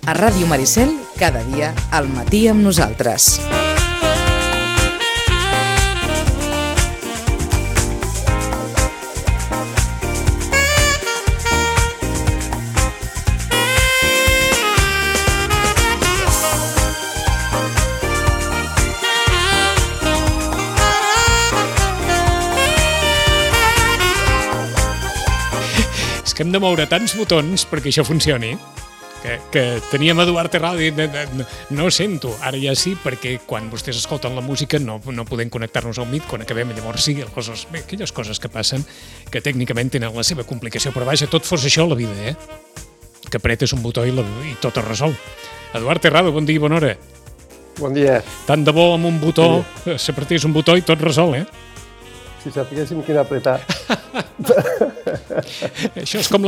A Ràdio Maricel, cada dia al matí amb nosaltres. Que hem de moure tants botons perquè això funcioni, que teníem Eduard Terrado i no sento, ara ja sí, perquè quan vostès escolten la música no podem connectar-nos al Meet quan acabem, llavors sí, aquelles coses que passen que tècnicament tenen la seva complicació, però vaja, tot fos això la vida, que apretes un botó i tot es resol. Eduard Terrado, bon dia i bona hora. Bon dia. Tant de bo amb un botó, s'apretés un botó i tot resol, Si sapiguéssim quin apretar. Això és com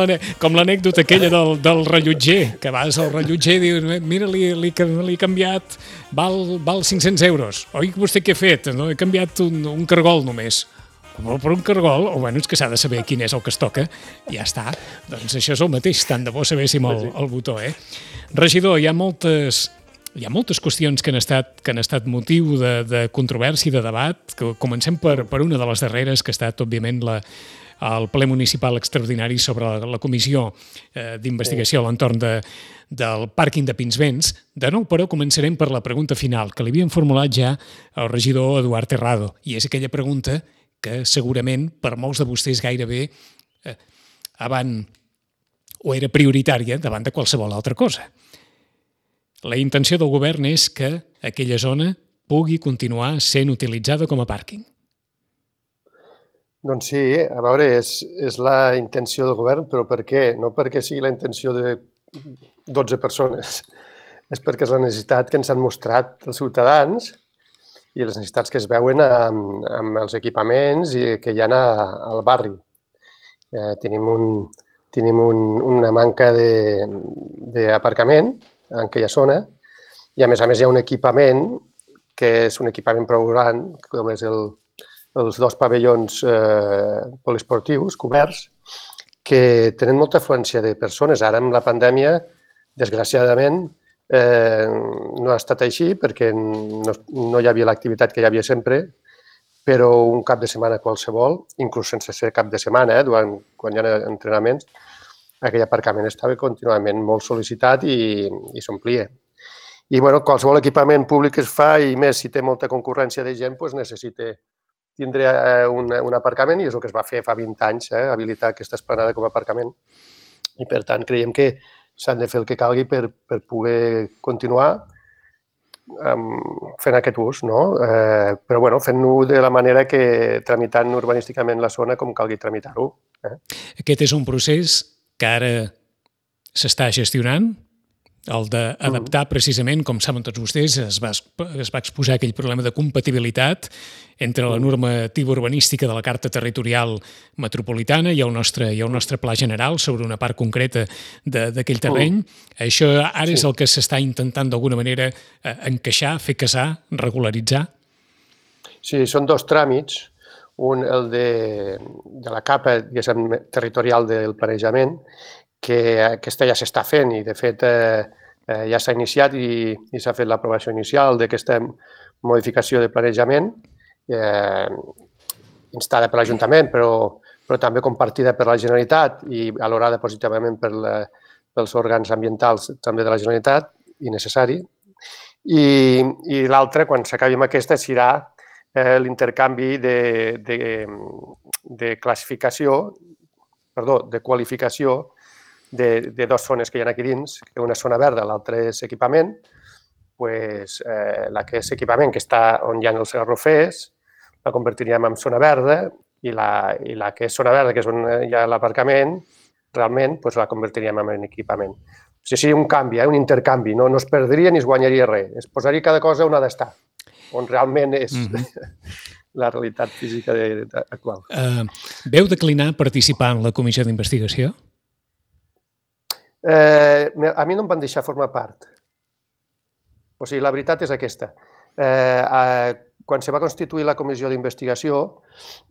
l'anècdota aquella del rellotger, que vas al rellotger i dius, mira, li he canviat, val 500 euros. Oi, vostè què ha fet? No? He canviat un cargol només. Per un cargol, o bueno, és que s'ha de saber quin és el que es toca, ja està. Doncs això és el mateix, tant de bo sabéssim el botó, Regidor, hi ha moltes qüestions que han estat motiu de controvèrsia i de debat. Comencem per una de les darreres, que ha estat, òbviament, el ple municipal extraordinari sobre la comissió d'investigació a l'entorn del pàrquing de Pinsbens. De nou, però, començarem per la pregunta final, que li havien formulat ja el regidor Eduard Terrado, i és aquella pregunta que segurament per molts de vostès gairebé era prioritària davant de qualsevol altra cosa. La intenció del govern és que aquella zona pugui continuar sent utilitzada com a pàrquing. Doncs sí, a veure, és la intenció del govern, però per què? No perquè sigui la intenció de 12 persones, és perquè és la necessitat que ens han mostrat els ciutadans i les necessitats que es veuen amb els equipaments que hi ha al barri. Tenim una manca d'aparcament en aquella zona, i a més hi ha un equipament que és un equipament prou gran, com és els dos pavellons poliesportius coberts, que tenen molta afluència de persones. Ara, amb la pandèmia, desgraciadament, no ha estat així perquè no hi havia l'activitat que hi havia sempre, però un cap de setmana qualsevol, inclús sense ser cap de setmana, quan hi ha entrenaments, aquell aparcament estava contínuament molt sol·licitat i s'omplia. I qualsevol equipament públic que es fa, i més si té molta concurrència de gent, necessita tindre un aparcament, i és el que es va fer fa 20 anys, habilitar aquesta esplanada com a aparcament. I per tant creiem que s'han de fer el que calgui per poder continuar fent aquest ús, però fent-ho de la manera que tramitant urbanísticament la zona com calgui tramitar-ho. Aquest és un procés que ara s'està gestionant, el d'adaptar precisament, com saben tots vostès, es va exposar aquell problema de compatibilitat entre la normativa urbanística de la Carta Territorial Metropolitana i el nostre pla general sobre una part concreta d'aquell terreny. Això ara és el que s'està intentant d'alguna manera encaixar, fer casar, regularitzar? Sí, són dos tràmits. Un, el de la capa territorial del planejament, que aquesta ja s'està fent i, de fet, ja s'ha iniciat i s'ha fet l'aprovació inicial d'aquesta modificació de planejament, instada per l'Ajuntament, però també compartida per la Generalitat i valorada positivament pels òrgans ambientals també de la Generalitat, i necessari. I l'altra, quan s'acabi amb aquesta, serà l'intercanvi de qualificació de dues zones que hi ha aquí dins, una zona verda, l'altra és equipament. La que és equipament, que està on hi ha els garrofers, la convertiríem en zona verda, i la que és zona verda, que és on hi ha l'aparcament, realment la convertiríem en equipament. O sigui, un canvi, un intercanvi, no es perdria ni es guanyaria res, es posaria cada cosa on ha d'estar, on realment és la realitat física actual. Veu declinar participar en la comissió d'investigació? A mi no em van deixar formar part. O sigui, la veritat és aquesta. Quan se va constituir la comissió d'investigació,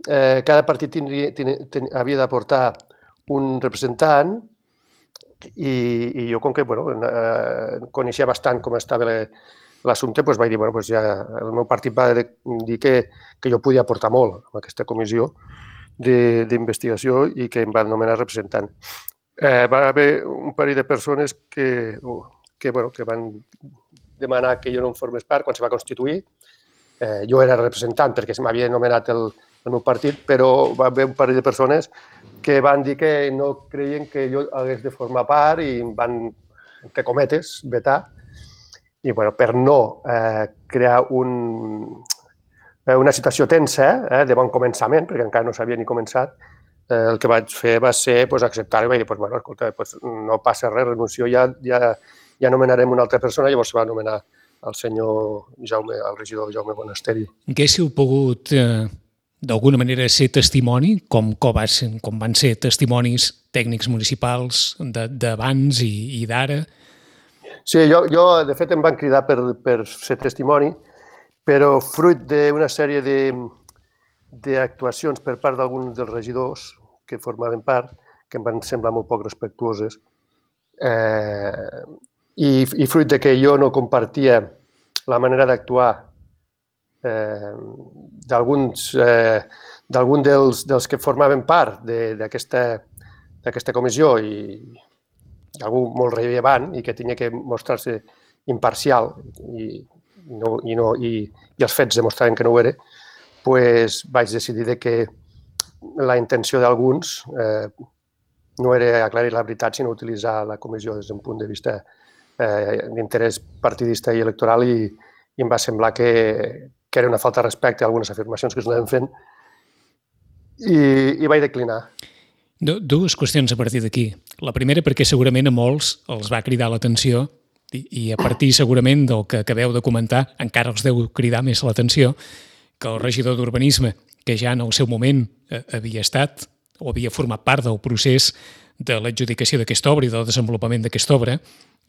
cada partit havia d'aportar un representant I jo, com que coneixia bastant com estava l'assumpte, doncs vaig dir, doncs ja el meu partit va dir que jo podia aportar molt a aquesta comissió d'investigació i que em van nomenar representant. Va haver un parell de persones que van demanar que jo no en formés part quan se va constituir. Jo era representant perquè se m'havia nomenat el meu partit, però va haver un parell de persones que van dir que no creien que jo hagués de formar part i em van, entre cometes, vetar. I per no crear una situació tensa de bon començament, perquè encara no s'havia ni començat, el que vaig fer va ser acceptar-ho i vaig dir, escolta, no passa res, renuncio, ja nomenarem una altra persona. Llavors se va nomenar el senyor Jaume, el regidor Jaume Bonasteri. Haguéssiu pogut, d'alguna manera, ser testimoni, com van ser testimonis tècnics municipals d'abans i d'ara? Sí, jo, de fet, em van cridar per ser testimoni, però fruit d'una sèrie d'actuacions per part d'alguns dels regidors que formaven part, que em van semblar molt poc respectuoses, i fruit de que jo no compartia la manera d'actuar d'alguns dels que formaven part d'aquesta comissió i algú molt rellevant i que tenia que mostrar-se imparcial i els fets demostraven que no ho era, doncs vaig decidir que la intenció d'alguns no era aclarir la veritat, sinó utilitzar la comissió des d'un punt de vista d'interès partidista i electoral, i em va semblar que era una falta de respecte a algunes afirmacions que s'anaven fent i vaig declinar. Dues qüestions a partir d'aquí. La primera, perquè segurament a molts els va cridar l'atenció i a partir segurament del que acabeu de comentar encara els deu cridar més l'atenció que el regidor d'Urbanisme, que ja en el seu moment havia estat o havia format part del procés de l'adjudicació d'aquesta obra i del desenvolupament d'aquesta obra,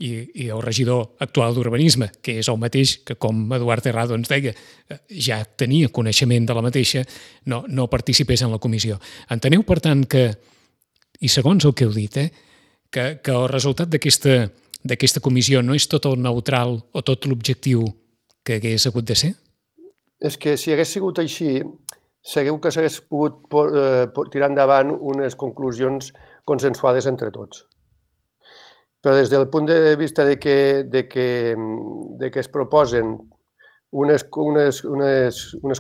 i el regidor actual d'Urbanisme, que és el mateix que, com Eduard Terrado ens deia, ja tenia coneixement de la mateixa, no participés en la comissió. Enteneu, per tant, que, i segons el que heu dit, que el resultat d'aquesta comissió no és tot el neutral o tot l'objectiu que hagués hagut de ser? És que si hagués sigut així, segur que s'hagués pogut tirar endavant unes conclusions consensuades entre tots. Però des del punt de vista de que es proposen unes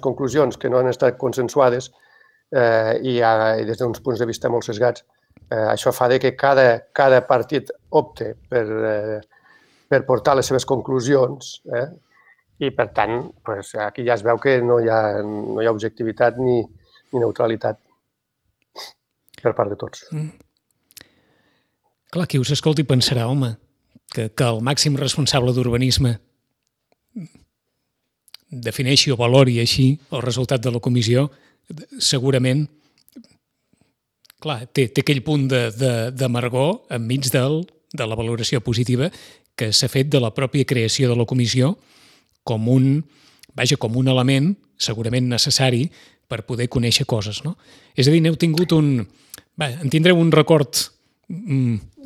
conclusions que no han estat consensuades i des d'uns punts de vista molt sesgats, això fa que cada partit opte per portar les seves conclusions i, per tant, aquí ja es veu que no hi ha objectivitat ni neutralitat per part de tots. Clar, qui us escolti pensarà, home, que el màxim responsable d'Urbanisme defineixi o valori així el resultat de la comissió, segurament, clar, té aquell punt d'amargor enmig de la valoració positiva que s'ha fet de la pròpia creació de la comissió com un element segurament necessari per poder conèixer coses, no? És a dir, n'heu tingut en tindreu un record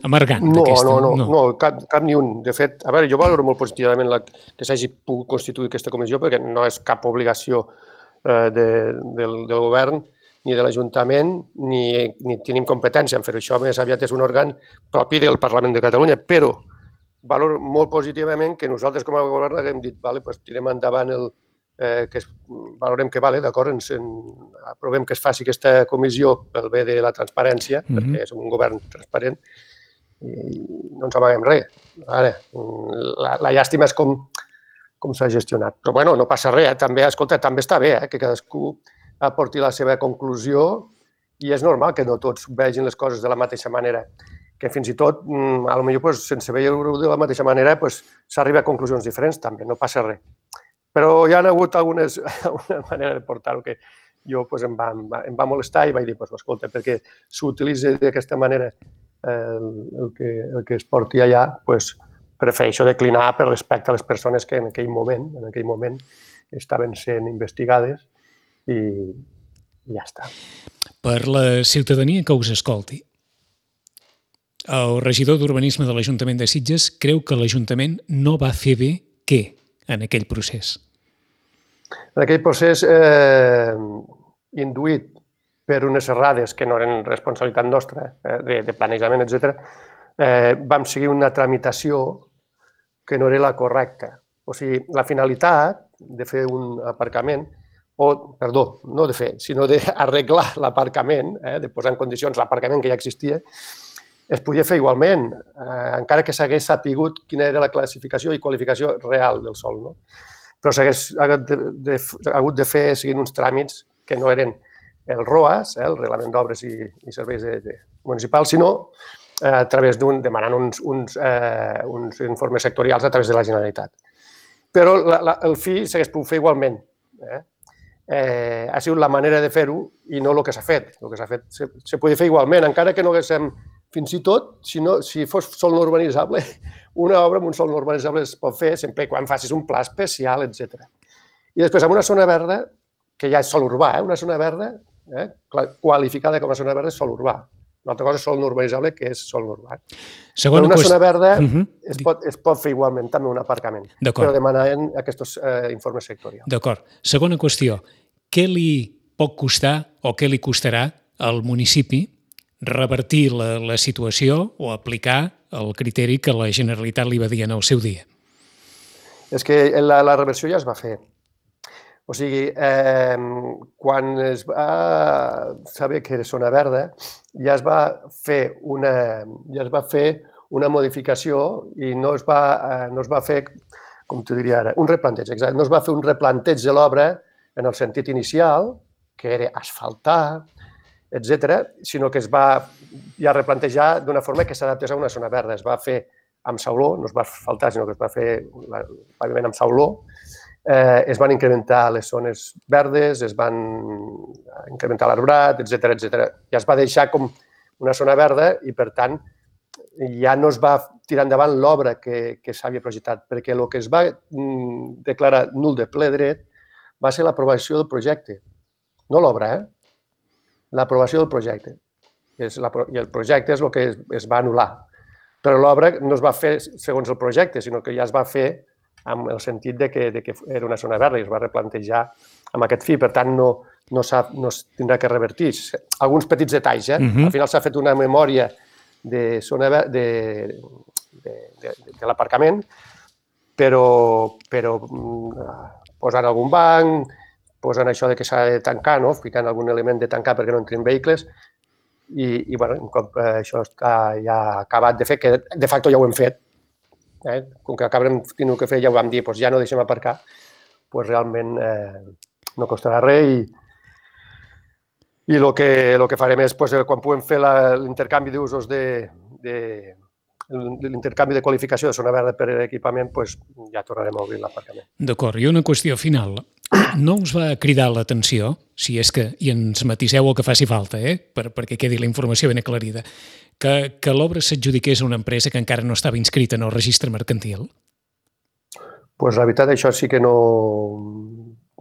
amargant d'aquesta? No, cap ni un. De fet, a veure, jo valoro molt positivament que s'hagi pogut constituir aquesta comissió perquè no és cap obligació del govern ni de l'Ajuntament, ni tenim competència en fer això. Més aviat és un òrgan propi del Parlament de Catalunya, però valoro molt positivament que nosaltres com a govern haguem dit tirem endavant valorem que d'acord, aprovem que es faci aquesta comissió pel bé de la transparència, perquè som un govern transparent, i no ens amaguem res. La llàstima és com s'ha gestionat. Però bueno, no passa res, també està bé que cadascú aporti la seva conclusió i és normal que no tots vegin les coses de la mateixa manera, que fins i tot, potser sense veure-ho de la mateixa manera, s'arriba a conclusions diferents també, no passa res. Però hi ha hagut alguna manera de portar-ho que jo em va molestar i vaig dir, escolta, perquè s'utilitza d'aquesta manera el que es porti allà, prefereixo declinar per respecte a les persones que en aquell moment estaven sent investigades i ja està. Per la ciutadania que us escolti, El regidor d'Urbanisme de l'Ajuntament de Sitges creu que l'Ajuntament no va fer bé què en aquell procés? En aquell procés, induït per unes errades que no eren responsabilitat nostra, de planejament, etc., vam seguir una tramitació que no era la correcta. O sigui, la finalitat de fer un aparcament, perdó, no de fer, sinó d'arreglar l'aparcament, de posar en condicions l'aparcament que ja existia, es podia fer igualment, encara que s'hagués sapigut quina era la classificació i qualificació real del sòl, no? Però s'hagués hagut de fer seguint uns tràmits que no eren el ROAS, el Reglament d'Obres i Serveis Municipals, sinó a través demanant uns informes sectorials a través de la Generalitat. Però el fi s'hagués pogut fer igualment. Ha sigut la manera de fer-ho i no el que s'ha fet. El que s'ha fet se podia fer igualment, encara que no haguéssim, fins i tot, si fos sòl no urbanitzable, una obra amb un sòl no urbanitzable es pot fer sempre quan facis un pla especial, etc. I després, amb una zona verda, que ja és sòl urbà, una zona verda, qualificada com a zona verda és sòl urbà. Una altra cosa és sòl no urbanitzable, que és sòl urbà. Però una zona verda es pot fer igualment també un aparcament, però demanant aquests informes sectorials. D'acord. Segona qüestió. Què li pot costar o què li costarà al municipi revertir la situació o aplicar el criteri que la Generalitat li va dir en el seu dia? És que la reversió ja es va fer. O sigui, quan es va saber que era zona verda, ja es va fer una modificació i no es va fer, com t'ho diria ara, un replanteig, exacte. No es va fer un replanteig de l'obra en el sentit inicial, que era asfaltar, etc., sinó que es va ja replantejar d'una forma que s'adaptés a una zona verda. Es va fer amb sauló, no es va asfaltar, sinó que es va fer el paviment amb sauló. Es van incrementar les zones verdes, es van incrementar l'arbrat, etc. Ja es va deixar com una zona verda i, per tant, ja no es va tirar endavant l'obra que s'havia projectat, perquè el que es va declarar nul de ple dret va ser l'aprovació del projecte. No l'obra, l'aprovació del projecte. I el projecte és el que es va anul·lar. Però l'obra no es va fer segons el projecte, sinó que ja es va fer amb el sentit de que era una zona verda i es va replantejar amb aquest fi. Per tant, no es tindrà que revertir. Alguns petits detalls. Al final s'ha fet una memòria de l'aparcament, però posant algun banc, posant això que s'ha de tancar, ficant algun element de tancar perquè no entrin vehicles, i un cop això està ja acabat de fer, que de facto ja ho hem fet, com que acabem tenint que fer, ja ho vam dir, ja no deixem aparcar, realment no costarà res i el que farem és, quan puguem fer l'intercanvi d'usos l'intercanvi de qualificació de zona verda per equipament, ja tornarem a obrir l'aparcament. D'acord, i una qüestió final. No us va cridar l'atenció, si és que, i ens matiseu el que faci falta, perquè quedi la informació ben aclarida, que l'obra s'adjudiqués a una empresa que encara no estava inscrita en el registre mercantil? Doncs la veritat, això sí que no...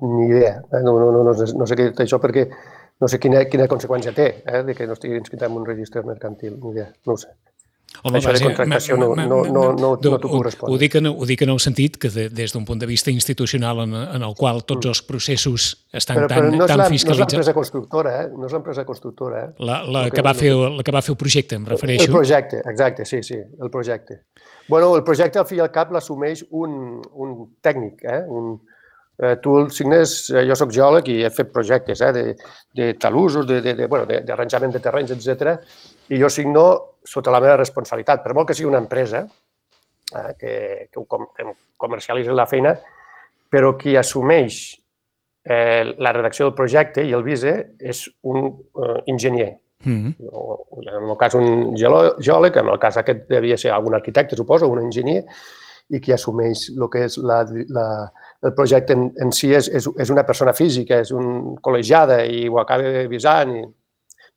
ni idea. No sé què dir això perquè no sé quina conseqüència té de que no estigui inscrita en un registre mercantil. Ni idea, no ho sé. Home, això de contractació no t'ho puc respondre. Ho dic en el sentit que des d'un punt de vista institucional en el qual tots els processos estan tan fiscalitzats... No és l'empresa constructora, no és l'empresa constructora. La que va fer el projecte, em refereixo. El projecte, exacte, sí, el projecte. Bueno, el projecte al fi i al cap l'assumeix un tècnic, tu el signes, jo soc geòleg i he fet projectes de talussos, d'arranjament de terrenys, etc. I jo signo sota la meva responsabilitat. Per molt que sigui una empresa que comercialitzi la feina, però qui assumeix la redacció del projecte i el vise és un enginyer. En el cas un geòleg, en el cas aquest devia ser algun arquitecte, suposo, un enginyer, i qui assumeix el que és el projecte en si és una persona física, és una col·legiada i ho acaba avisant.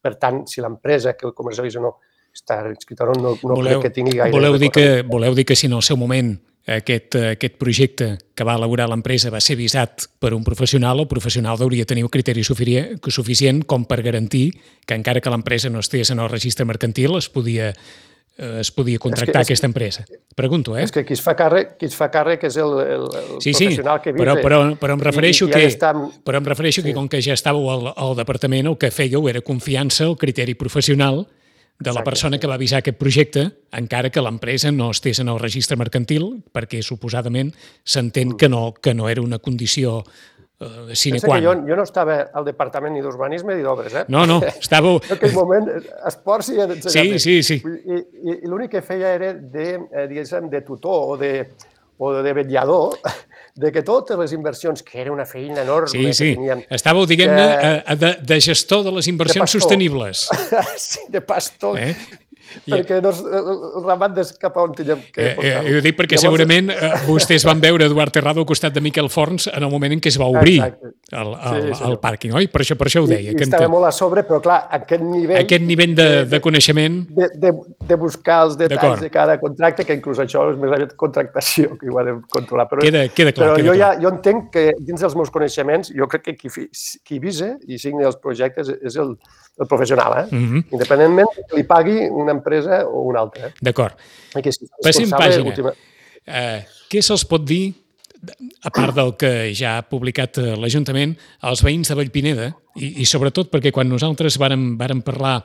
Per tant, si l'empresa que el comercialitza no està inscrita o no crec que tingui gaire... Voleu dir que si en el seu moment aquest projecte que va elaborar l'empresa va ser visat per un professional, el professional hauria de tenir un criteri suficient com per garantir que encara que l'empresa no estigués en el registre mercantil es podia es podia contractar aquesta empresa? Pregunto, És que qui es fa càrrec és el professional que visa. Però em refereixo que com que ja estàveu al departament, el que fèieu era confiança al criteri professional de la persona que va avisar aquest projecte, encara que l'empresa no estés en el registre mercantil, perquè suposadament s'entén que no era una condició sine qua non. Jo no estava al departament ni d'urbanisme ni d'obres, No, estàveu... En aquell moment, esports i ensenyament. Sí. I l'únic que feia era de tutor o de vetllador de que totes les inversions, que era una feina enorme que teníem... Estàveu, diguem-ne, de gestor de les inversions sostenibles. Sí, de pastor. Perquè el ramat des cap on teníem que portar. Ho dic perquè segurament vostès van veure Eduard Terrado al costat de Miquel Forns en el moment en què es va obrir el pàrquing, oi? Per això ho deia. I estava molt a sobre, però clar, aquest nivell de coneixement... De buscar els detalls de cada contracte, que inclús això és més aviat contractació, que ho ha de controlar. Queda clar. Però jo entenc que dins dels meus coneixements, jo crec que qui visa i signa els projectes és el professional, independentment que li pagui una empresa o una altra. D'acord. Passem pàgina. Què se'ls pot dir, a part del que ja ha publicat l'Ajuntament, als veïns de Vallpineda, i sobretot perquè quan nosaltres vàrem parlar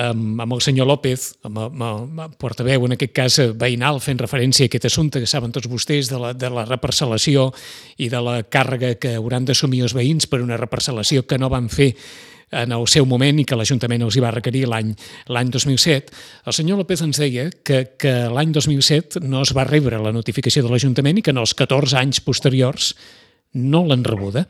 amb el senyor López, amb el portaveu, en aquest cas veïnal, fent referència a aquest assumpte que saben tots vostès de la reparcel·lació i de la càrrega que hauran d'assumir els veïns per una reparcel·lació que no van fer en el seu moment i que l'Ajuntament els hi va requerir l'any 2007, el senyor López ens deia que l'any 2007 no es va rebre la notificació de l'Ajuntament i que en els 14 anys posteriors no l'han rebuda.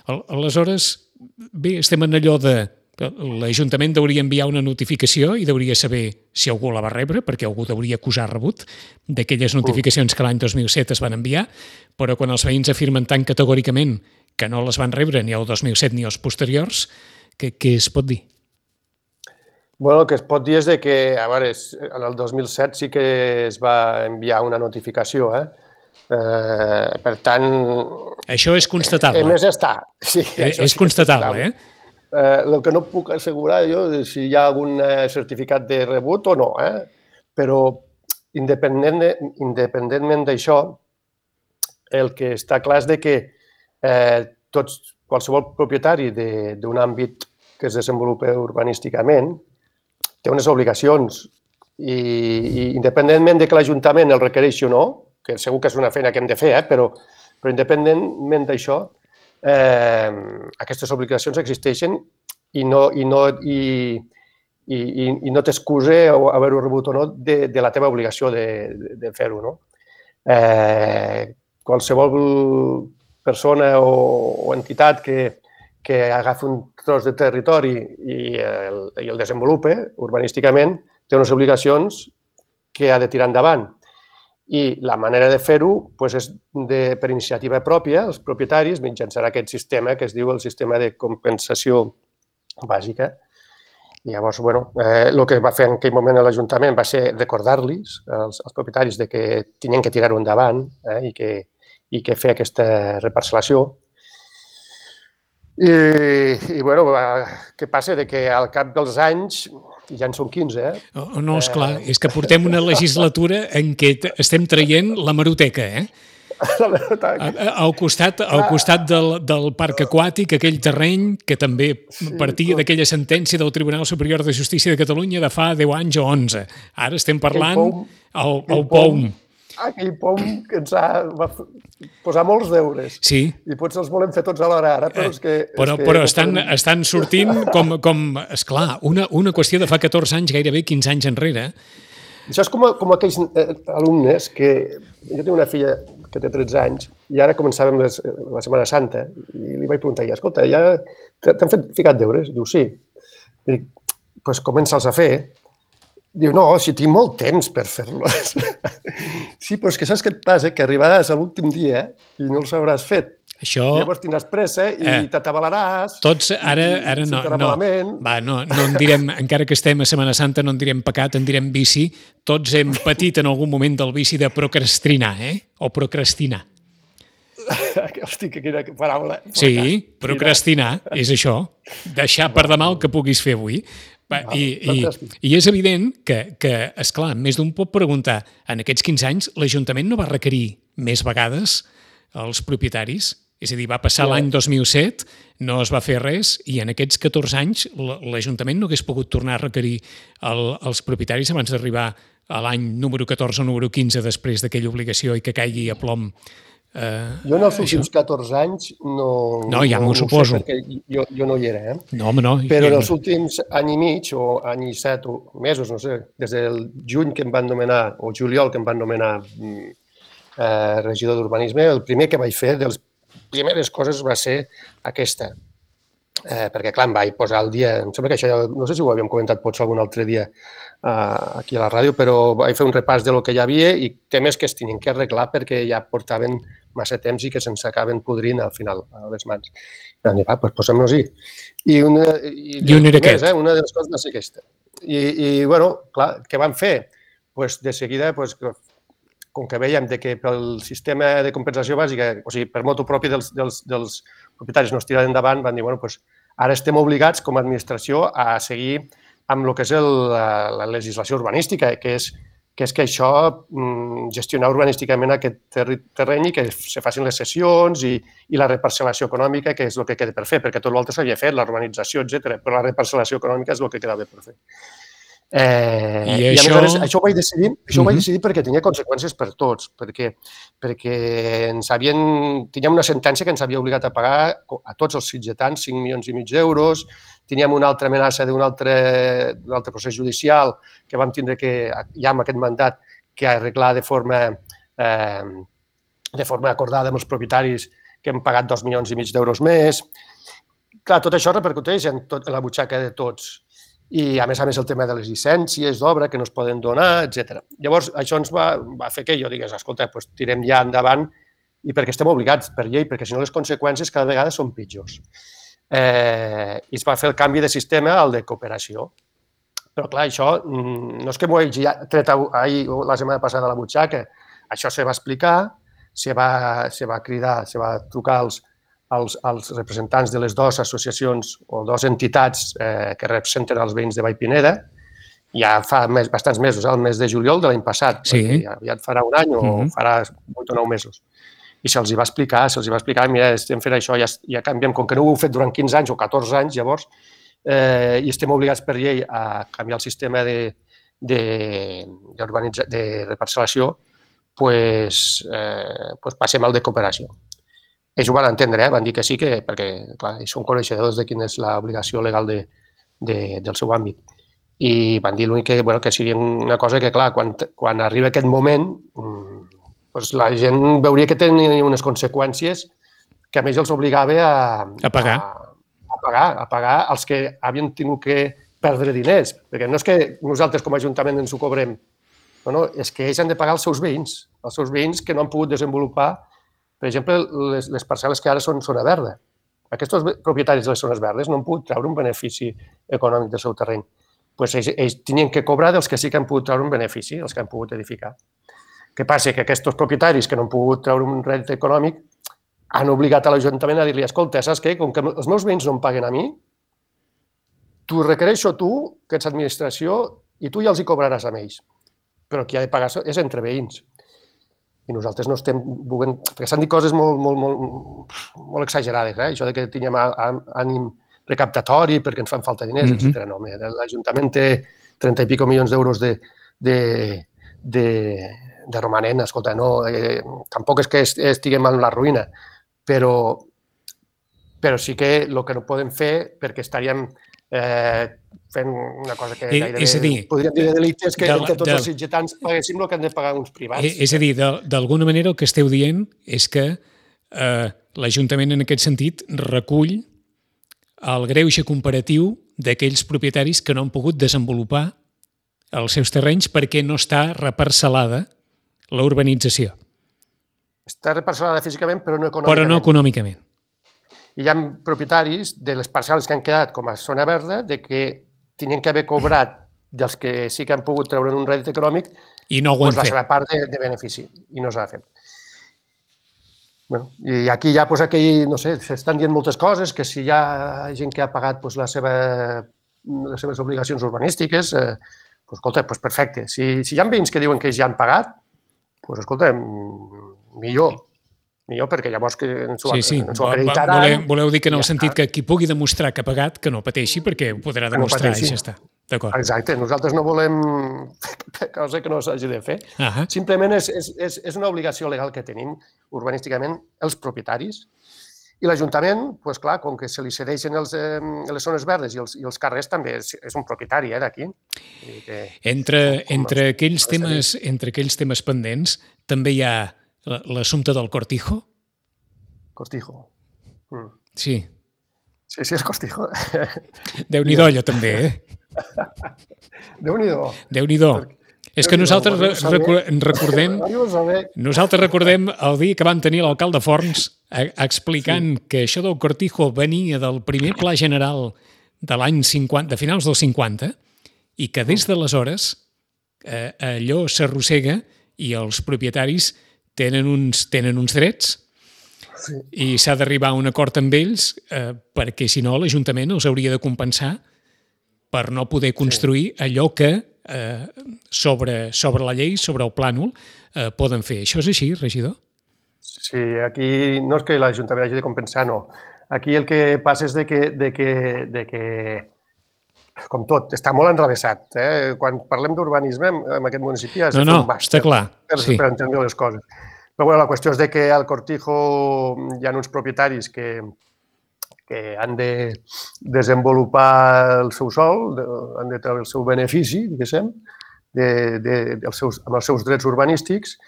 Aleshores, bé, estem en allò de que l'Ajuntament hauria enviar una notificació i hauria saber si algú la va rebre, perquè algú hauria acusar rebut d'aquelles notificacions que l'any 2007 es van enviar, però quan els veïns afirmen tan categòricament que no les van rebre ni el 2007 ni els posteriors, què es pot dir? Bueno, el que es pot dir és que, a veure, en el 2007 sí que es va enviar una notificació, per tant... Això és constatable. A més està. Sí, és constatable, El que no puc assegurar jo és si hi ha algun certificat de rebut o no, però independentment d'això, el que està clar és que qualsevol propietari d'un àmbit que es desenvolupa urbanísticament té unes obligacions i independentment de que l'Ajuntament el requereixi o no, que segur que és una feina que hem de fer, però independentment d'això, aquestes obligacions existeixen i no t'excuse haver-ho rebut o no de la teva obligació de fer-ho, no? Qualsevol persona o entitat que agafi un tros de territori i el desenvolupa urbanísticament té unes obligacions que ha de tirar endavant. I la manera de fer-ho és per iniciativa pròpia, els propietaris, mitjançant aquest sistema que es diu el sistema de compensació bàsica. I llavors, el que va fer en aquell moment l'Ajuntament va ser recordar-los als propietaris que tenien que tirar-ho endavant i que fer aquesta reparcel·lació. I què passa? Que al cap dels anys, ja en són 15, No, esclar, és que portem una legislatura en què estem traient l'hemeroteca, Al costat del parc aquàtic, aquell terreny que també partia d'aquella sentència del Tribunal Superior de Justícia de Catalunya de fa 10 anys o 11. Ara estem parlant el POUM. Aquell POUM que ens ha posat molts deures. Sí. I potser els volem fer tots alhora ara, però és que... Però estan sortint com esclar, una qüestió de fa 14 anys, gairebé 15 anys enrere. Això és com aquells alumnes que... Jo tinc una filla que té 13 anys i ara començàvem la Setmana Santa i li vaig preguntar, escolta, ja t'han ficat deures? Diu, sí. Dic, doncs comença'ls a fer. Diu, no, si tinc molt temps per fer-los. Sí, però és que saps què et passa? Que arribaràs a l'últim dia i no els hauràs fet. Això... Llavors tindràs pressa i t'atabalaràs. Tots ara no en direm, encara que estem a Setmana Santa, no en direm pecat, en direm vici. Tots hem patit en algun moment del vici de procrastinar, o procrastinar. Hosti, quina paraula. Sí, procrastinar és això. Deixar per demà el que puguis fer avui. I és evident que, esclar, més d'un pot preguntar, en aquests 15 anys l'Ajuntament no va requerir més vegades als propietaris? És a dir, va passar l'any 2007, no es va fer res, i en aquests 14 anys l'Ajuntament no hagués pogut tornar a requerir els propietaris abans d'arribar a l'any número 14 o número 15 després d'aquella obligació i que caigui a plom. Jo en els últims 14 anys no, ja m'ho suposo. Sé, perquè jo no hi era, No, home, no. Però en els últims any i mig o any i 7 mesos, no sé, des del juny que em van nomenar, o juliol que em van nomenar regidor d'urbanisme, el primer que vaig fer, de les primeres coses va ser aquesta. Perquè, clar, em vaig posar al dia, em sembla que això ja, no sé si ho havíem comentat potser algun altre dia aquí a la ràdio, però vaig fer un repàs de lo que hi havia i temes que es tenien que arreglar perquè ja portaven massa temps i que se'ns acaben podrint al final a les mans. I vam dir, va, doncs posem-nos-hi. I una de les coses va ser aquesta. I bueno, clar, què vam fer? Doncs de seguida, com que veiem que pel sistema de compensació bàsica, o sigui, per motu propi dels propietaris no es tira endavant, van dir, bueno, doncs ara estem obligats com a administració a seguir amb el que és la legislació urbanística, que és que això, gestionar urbanísticament aquest terreny i que se facin les cessions i la reparcel·lació econòmica, que és el que queda per fer, perquè tot l'altre s'havia fet, la urbanització, etc. Però la reparcel·lació econòmica és el que quedava per fer. I això ho vaig decidir perquè tenia conseqüències per tots, perquè teníem una sentència que ens havia obligat a pagar a tots els sitgetans 5,5 milions d'euros, teníem una altra amenaça d'un altre procés judicial que vam tindre que, ja amb aquest mandat, que arreglar de forma acordada amb els propietaris que hem pagat 2,5 milions d'euros més. Clar, tot això repercuteix en la butxaca de tots. I, a més, el tema de les llicències d'obra que no es poden donar, etc. Llavors, això ens va fer que jo digués, escolta, doncs tirem ja endavant i perquè estem obligats per llei, perquè si no les conseqüències cada vegada són pitjors. I es va fer el canvi de sistema al de cooperació. Però, clar, això no és que m'ho hagi tret ahir o la setmana passada a la butxaca. Això se va explicar, se va cridar, se va trucar als representants de les dues associacions o dues entitats que representen els veïns de Vallpineda, ja fa bastants mesos, el mes de juliol de l'any passat, perquè aviat farà un any o farà 8 o 9 mesos. I se'ls va explicar, mira, estem fent això, ja canviem, com que no ho heu fet durant 15 anys o 14 anys, llavors, i estem obligats per llei a canviar el sistema de reparcel·lació, doncs passem al de cooperació. Ells ho van entendre, van dir que sí, perquè clar, són coneixedors de quina és l'obligació legal del seu àmbit. I van dir l'únic que seria una cosa que, clar, quan arriba aquest moment, la gent veuria que tenia unes conseqüències que a més els obligava a pagar els que havien tingut que perdre diners. Perquè no és que nosaltres com a Ajuntament ens ho cobrem, no, és que ells han de pagar els seus veïns que no han pogut desenvolupar. Per exemple, les parcel·les que ara són zona verda. Aquests propietaris de les zones verdes no han pogut treure un benefici econòmic del seu terreny. Doncs ells tenien que cobrar dels que sí que han pogut treure un benefici, els que han pogut edificar. Què passa? Que aquests propietaris que no han pogut treure un rèdit econòmic han obligat a l'Ajuntament a dir-li, escolta, saps què? Com que els meus veïns no em paguen a mi, t'ho requereixo tu, que ets administració, i tu ja els hi cobraràs a ells. Però qui ha de pagar és entre veïns. I nosaltres no estem volent... Perquè s'han dit coses molt exagerades, això que tinguem ànim recaptatori perquè ens fan falta diners, etc. No, l'Ajuntament té 30 i pico milions d'euros de romanent. Escolta, tampoc és que estiguem en la ruïna, però sí que el que no podem fer, perquè estaríem fent una cosa que gairebé podríem dir de delictes, que tots els sitgetans paguéssim el que han de pagar uns privats. És a dir, d'alguna manera el que esteu dient és que l'Ajuntament en aquest sentit recull el greuge comparatiu d'aquells propietaris que no han pogut desenvolupar els seus terrenys perquè no està reparcel·lada la urbanització. Està reparcel·lada físicament, però no econòmicament. Però no econòmicament. I hi ha propietaris de les parcel·les que han quedat com a zona verda de que tenien que haver cobrat dels que sí que han pogut treure un rèdit econòmic i no ho han fet. La seva part de benefici, i no s'ha fet. I aquí ja, no sé, s'estan dient moltes coses, que si hi ha gent que ha pagat la seva les seves obligacions urbanístiques, doncs, escolta, doncs perfecte. Si hi ha veïns que diuen que ja han pagat, doncs, escolta, millor, perquè llavors que ens ho acreditaran... Voleu dir que en el sentit que qui pugui demostrar que ha pagat, que no pateixi, perquè ho podrà demostrar i ja està. D'acord. Exacte, nosaltres no volem cosa que no s'hagi de fer. Simplement és una obligació legal que tenim urbanísticament els propietaris i l'Ajuntament, doncs clar, com que se li cedeixen les zones verdes i els carrers també és un propietari d'aquí. Entre aquells temes pendents també hi ha l'assumpte del Cortijo? Cortijo. Sí. Sí, el Cortijo. Déu-n'hi-do, allò també, Déu-n'hi-do. És que nosaltres recordem el dia que van tenir l'alcalde Forns explicant que això del Cortijo venia del primer pla general de l'any 50, de finals dels 50, i que des d'aleshores allò s'arrossega i els propietaris tenen uns drets i s'ha d'arribar a un acord amb ells perquè, si no, l'Ajuntament els hauria de compensar per no poder construir allò que sobre la llei, sobre el plànol, poden fer. Això és així, regidor? Sí, aquí no és que l'Ajuntament hagi de compensar, no. Aquí el que passa és de que com tot, està molt enrevessat. Quan parlem d'urbanisme en aquest municipi has de fer un màster per entendre les coses. Però bueno, la qüestió és que al Cortijo hi ha uns propietaris que han de desenvolupar el seu sòl, han de treure el seu benefici, diguéssim, amb els seus drets urbanístics.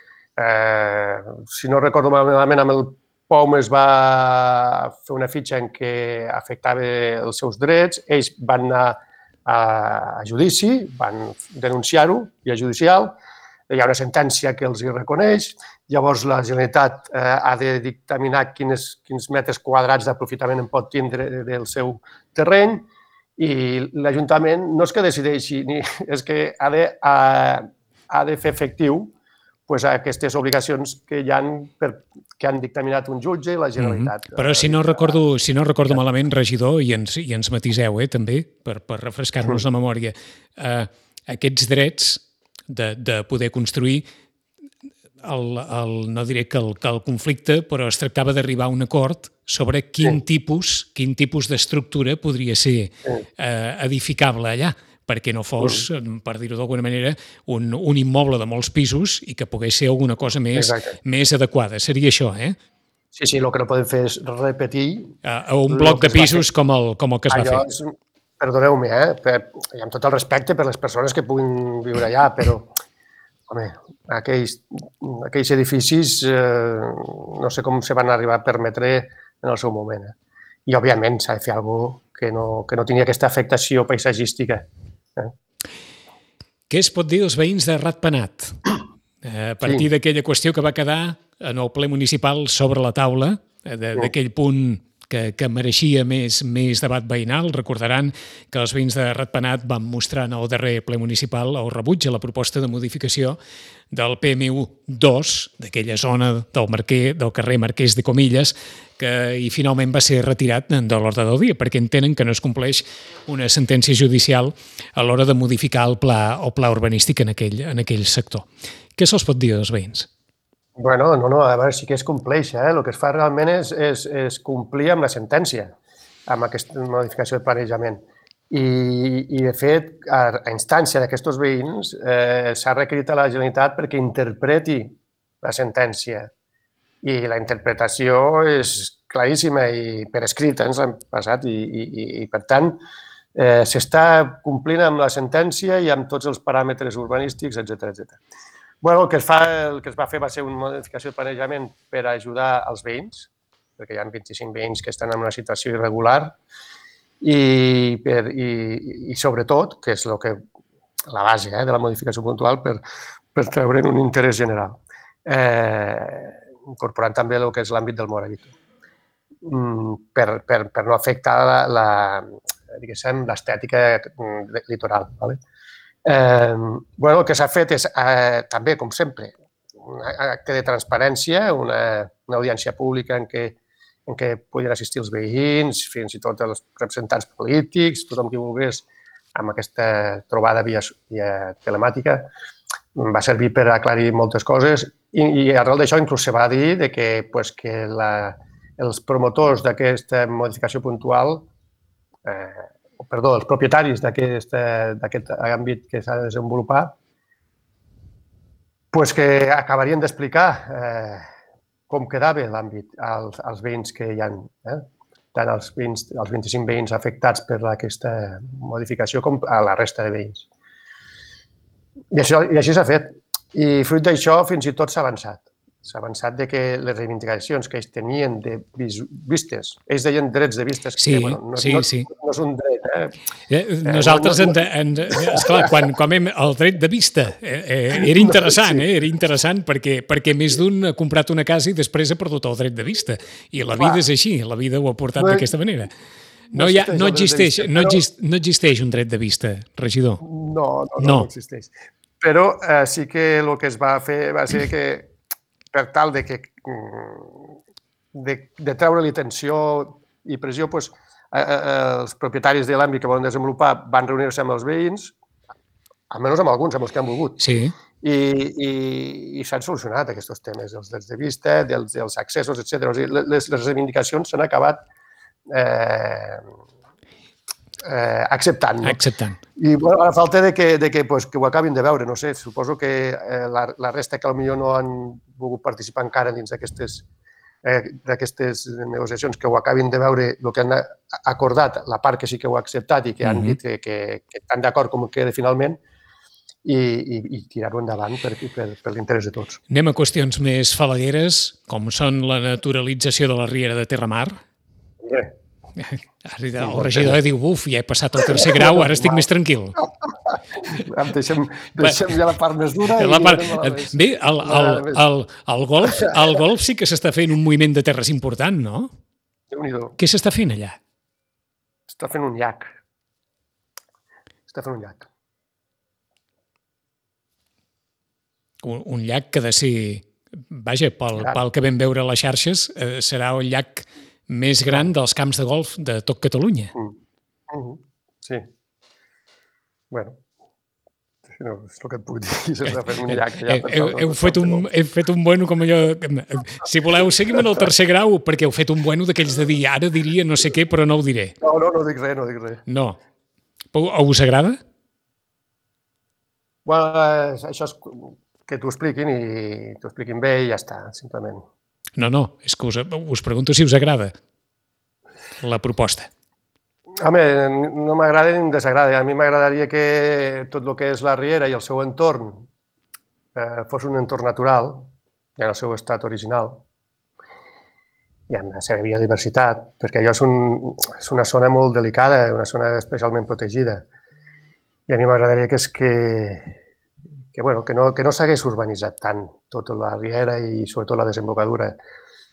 Si no recordo malament, amb el POM es va fer una fitxa en què afectava els seus drets, ells van anar a judici, van denunciar-ho, via judicial, hi ha una sentència que els hi reconeix, llavors la Generalitat ha de dictaminar quins metres quadrats d'aprofitament en pot tindre del seu terreny i l'Ajuntament no és que decideixi, és que ha de fer efectiu aquestes obligacions que han dictaminat un jutge i la Generalitat. Però si no recordo malament, regidor, i ens matiseu també, per refrescar-nos la memòria, aquests drets de poder construir, no diré que el conflicte, però es tractava d'arribar a un acord sobre quin tipus d'estructura podria ser edificable allà, perquè no fos, per dir-ho d'alguna manera, un immoble de molts pisos i que pogués ser alguna cosa més adequada. Seria això, Sí, el que no podem fer és repetir... un bloc de pisos com el que es va fer. Perdoneu-me, i amb tot el respecte per les persones que puguin viure allà, però, home, aquells edificis no sé com se van arribar a permetre en el seu moment. I, òbviament, s'ha de fer alguna cosa que no tingui aquesta afectació paisatgística. Què es pot dir dels veïns de Ratpenat? A partir d'aquella qüestió que va quedar en el ple municipal sobre la taula, d'aquell punt que mereixia més debat veïnal. Recordaran que els veïns de Ratpenat van mostrar en el darrer ple municipal el rebuig a la proposta de modificació del PMU2, d'aquella zona del carrer Marquès de Comillas, i finalment va ser retirat de l'ordre del dia, perquè entenen que no es compleix una sentència judicial a l'hora de modificar el pla urbanístic en aquell sector. Què se'ls pot dir als veïns? Bueno, no, a veure, sí que es compleix. El que es fa realment és complir amb la sentència, amb aquesta modificació de planejament. I de fet, a instància d'aquests veïns, s'ha requerit a la Generalitat perquè interpreti la sentència. I la interpretació és claríssima i per escrit ens han passat i per tant, s'està complint amb la sentència i amb tots els paràmetres urbanístics, etc. El que es va fer va ser una modificació de planejament per ajudar els veïns, perquè hi ha 25 veïns que estan en una situació irregular i sobretot, que és la base de la modificació puntual, per treure'n un interès general, incorporant també el que és l'àmbit del Moravito, per no afectar l'estètica litoral. El que s'ha fet és, també, com sempre, un acte de transparència, una audiència pública en què podien assistir els veïns, fins i tot els representants polítics, tothom qui volgués amb aquesta trobada via telemàtica, va servir per aclarir moltes coses i arrel d'això inclús se va dir que els promotors d'aquesta modificació puntual, els propietaris d'aquest àmbit que s'ha de desenvolupar, que acabarien d'explicar com quedava l'àmbit als veïns que hi ha, tant els 25 veïns afectats per aquesta modificació com a la resta de veïns. I així s'ha fet. I fruit d'això fins i tot s'ha avançat. S'ha avançat que les reivindicacions que ells tenien de vistes, ells deien drets de vistes, que no és un dret. Nosaltres, esclar, quan el dret de vista era interessant perquè més d'un ha comprat una casa i després ha perdut el dret de vista. I la vida és així, la vida ho ha portat d'aquesta manera. No existeix un dret de vista, regidor. No existeix. Però sí que el que es va fer va ser que, per tal de treure-li tensió i pressió, els propietaris de l'àmbit que volen desenvolupar van reunir-se amb els veïns, almenys amb alguns, amb els que han volgut. Sí. I s'han solucionat aquests temes, els drets de vista, dels accessos, etc. Les reivindicacions s'han acabat acceptant. I a falta que ho acabin de veure, no sé, suposo que la resta que potser no han volgut participar encara dins d'aquestes negociacions, que ho acabin de veure el que han acordat, la part que sí que ho ha acceptat i que han dit que estan d'acord com queda finalment, i tirar-ho endavant per l'interès de tots. Anem a qüestions més falagueres, com són la naturalització de la Riera de Terramar. El regidor diu, ja he passat el tercer grau, ara estic més tranquil. Deixem ja la part més dura. Bé, al golf sí que s'està fent un moviment de terres important, no? Déu-n'hi-do. Què s'està fent allà? Està fent un llac. Un llac que ha de ser, vaja, pel que vam veure a les xarxes, serà el llac més gran dels camps de golf de tot Catalunya. Sí. Bueno, no, és el que et puc dir. S'està fent un llac. Heu fet un bueno com allò... Si voleu, seguim en el tercer grau, perquè heu fet un bueno d'aquells de dir, ara diria no sé què, però no ho diré. No dic res. No. Us agrada? Bueno, això és que t'ho expliquin bé i ja està, simplement. No, és que us pregunto si us agrada la proposta. Home, no m'agrada ni em desagrada. A mi m'agradaria que tot el que és la Riera i el seu entorn fos un entorn natural, en el seu estat original, i amb la seva biodiversitat, perquè allò és una zona molt delicada, una zona especialment protegida. I a mi m'agradaria que no s'hagués urbanitzat tant tota la Riera i sobretot la desembocadura.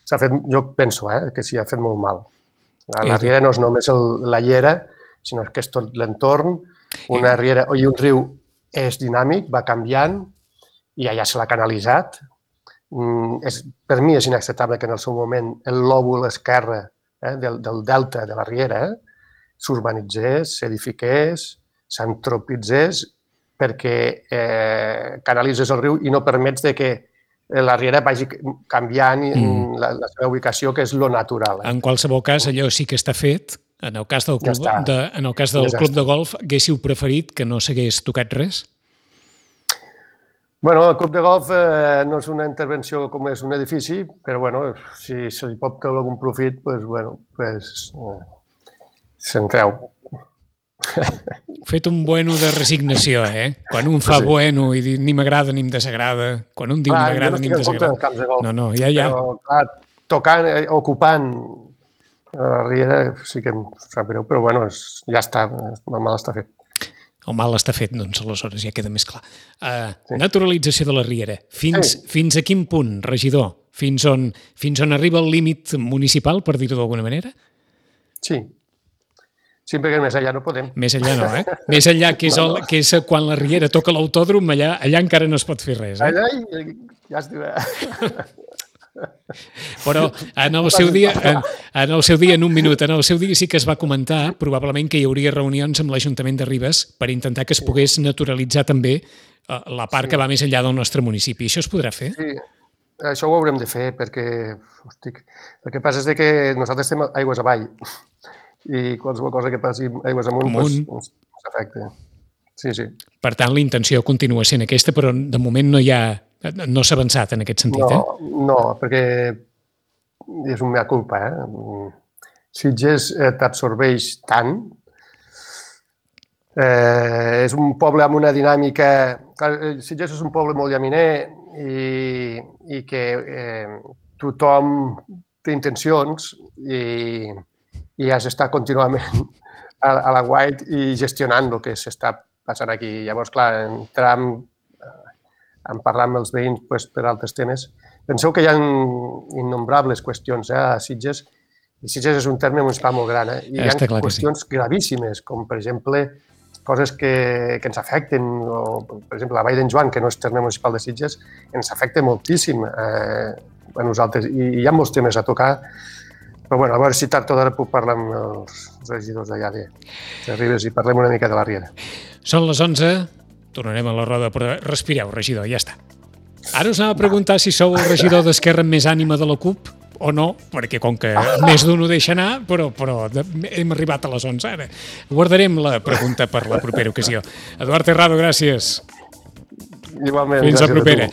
Jo penso que s'hi ha fet molt mal. La Riera no és només la llera, sinó que és tot l'entorn. Una riera i un riu és dinàmic, va canviant i allà se l'ha canalitzat. Per mi és inacceptable que en el seu moment el lòbul esquerre del delta de la Riera s'urbanitzés, s'edifiqués, s'antropitzés, perquè canalitzes el riu i no permets que la Riera vagi canviant la seva ubicació, que és lo natural. En qualsevol cas, allò sí que està fet. En el cas del club de golf, haguéssiu preferit que no s'hagués tocat res? Bueno, el club de golf no és una intervenció com és un edifici, però si se li pot treure algun profit, se'n treu. Fet un bueno de resignació, Quan un fa bueno i ni m'agrada ni em desagrada, quan un diu ni m'agrada ni em desagrada. No, ja. Però, clar, tocant, ocupant la Riera sí que em sap greu, però ja està, el mal està fet. El mal està fet, doncs aleshores ja queda més clar. Naturalització de la Riera. Fins a quin punt, regidor? Fins on arriba el límit municipal, per dir-ho d'alguna manera? Sí, perquè més enllà no podem. Més enllà no, Més enllà, que és quan la Riera toca l'autòdrom, allà encara no es pot fer res. Allà ja es diu... Però en el seu dia, en un minut, en el seu dia sí que es va comentar probablement que hi hauria reunions amb l'Ajuntament de Ribes per intentar que es pogués naturalitzar també la part que va més enllà del nostre municipi. Això es podrà fer? Sí, això ho haurem de fer perquè, hosti, el que passa és que nosaltres estem aigües avall i qualsevol cosa que passi aigües amunt doncs afecta. Sí, sí. Per tant, la intenció continua sent aquesta, però de moment no s'ha avançat en aquest sentit, No, perquè és un mea culpa, Sitges t'absorbeix tant. És un poble amb una dinàmica... Sitges és un poble molt llaminer i que tothom té intencions i has d'estar contínuament a la guait i gestionant el que s'està passant aquí. Llavors, clar, entrar en parlar amb els veïns per altres temes. Penseu que hi ha innombrables qüestions a Sitges, i Sitges és un terme municipal molt gran, i hi ha qüestions gravíssimes, com per exemple coses que ens afecten, o per exemple la Vall d'en Joan, que no és terme municipal de Sitges, ens afecta moltíssim a nosaltres, i hi ha molts temes a tocar, però bueno, a veure si tard o d'ara puc parlar amb els regidors d'allà de Ribes i parlem una mica de la Riera. Són les 11, tornarem a la roda, però respireu, regidor, ja està. Ara us anava a preguntar si sou el regidor d'Esquerra amb més ànima de la CUP o no, perquè com que més d'un ho deixa anar, però hem arribat a les 11 ara. Guardarem la pregunta per la propera ocasió. Eduard Terrado, gràcies. Igualment. Fins la propera.